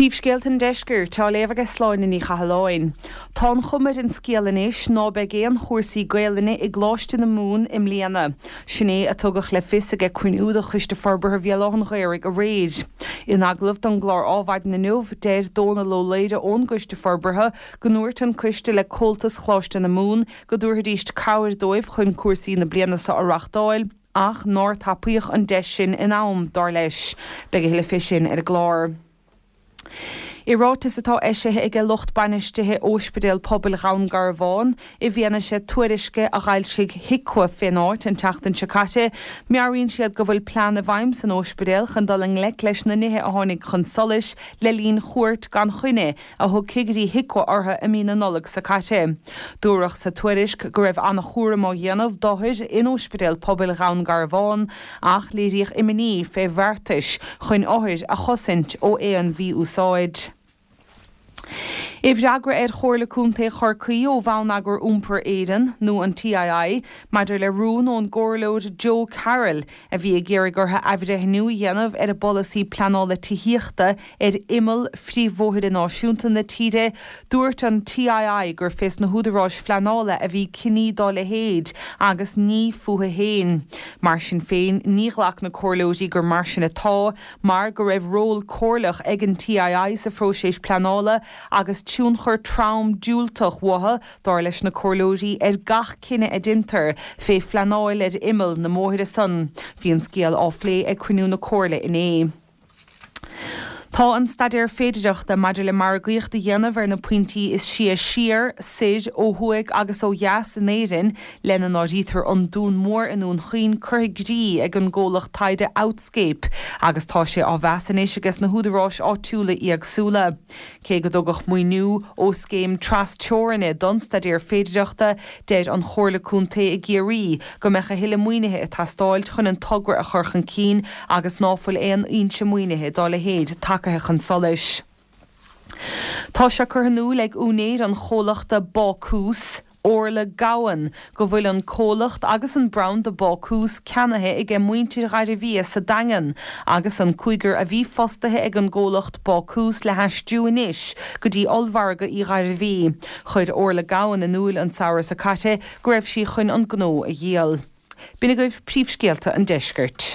Príomhscéalta an Deiscirt á léamh aige Sláine Ní Chathalláin. Tá an chuma ar an scéal anois ná beidh aon chúrsaí Gaelainne i gColáiste na Mumhan i mbliana. Sin é a tugadh le fios aige cruinniú de Choiste Forbartha Bhéal Átha an Ghaorthaidh aréir. In agallamh don gclár Ádhmhaidin inniu, deir Dónal Ó Laoire ón gCoiste Forbartha go ndúirt an coiste le Comhaltas Choláiste na Mumhan go dtabharfaidíst cabhair dóibh chun cúrsaí na bliana seo a reachtáil. Ach nár tapaíodh an deis sin in am, dar leis. Beidh a thuilleadh fé sin ar an gclár. I ráiteas atá eisithe aige lucht bainistithe Óispidéal Pobail Dhún Garbhán, i bhfianaise tuairisce a dh'fhoilsigh HIQA fén áit an tseachtain seo caite, meabhraíonn siad go bhfuil plean i bhfeidhm san óispidéal chun dul i ngleic leis na nithe a tháinig chun solais le linn chuairt gan choinne a thug cigirí HIQA orthu i mí na Nollag seo caite. Dúradh sa tuairisc go raibh an-chúram á dhéanamh d'othair in Óispidéal Pobail Dhún Garbhán ach léiríodh imní fé bheartais chun othair a chosaint ó aon mhí-úsáid. I bhfreagra ar Chomhairle Contae Chorcaí ó Bhonneagar Iompair Éireann, nó an TII, maidir le rún ón gComhairleoir Joe Carroll a bhí ag iarraidh orthu athbhreithniú a dhéanamh ar a bpolasaí pleanála tithíochta ar imeall phríomhbhóithre náisiúnta na tíre, dúirt an TII gur fés na húdaráis phleanála a bhí cinní dá leithéid agus ní fúthu féin. Mar sin féin, ní ghlac na comhairleoirí gur mar sin atá mar go raibh ról comhairleach ag an TII sa phróiseas pleanála agus tionchar trom diúltach uathu, dar leis na comhairleoirí, ar gach cinneadh a deintear fé phleanáil ar imeall na mbóithre san. Bhí an scéal á phlé ag cruinniú na comhairle inné. Tá an staidéar féidireachta maidir le margaíocht a dhéanamh ar na pointí is sia siar, soir, ó thuaidh agus ó dheas in Éirinn, lena n-áirítear an Dún Mór i nDún Chaoin, curtha i gcrích ag an gcomhlacht taighde Outscape agus tá sé á mheas anois ages na húdaráis áitiúla éagsúla. Cé go dtugadh maoiniú ó scéim tras-teorainne don staidéar féidireachta, deir an Chomhairle Contae i gCiarraí go mbeadh a thuilleadh maoinithe ag teastáilt chun an togra a chur chun cinn agus ná fuil aon fhoinse maoinithe dá leithéid tagaithe chun solais. Tá sé curtha in iúil ag úinéir an chomhlachta Bácús, Orla Gowan, go bhfuil an comhlacht agus an branda Bácús ceannaithe aige muintir Ghairbhia sa Daingean agus an cúigear a bhí fostaithe ag an gcomhlacht Bácús le haistriú anois go dtí ollmhargadh Uí Ghairbhí. Chuir Orla Gowan in iúil an samhradh seo caite go raibh sí chun an gnó a dhíol. B'in agaibh príomhscéalta an deiscirt.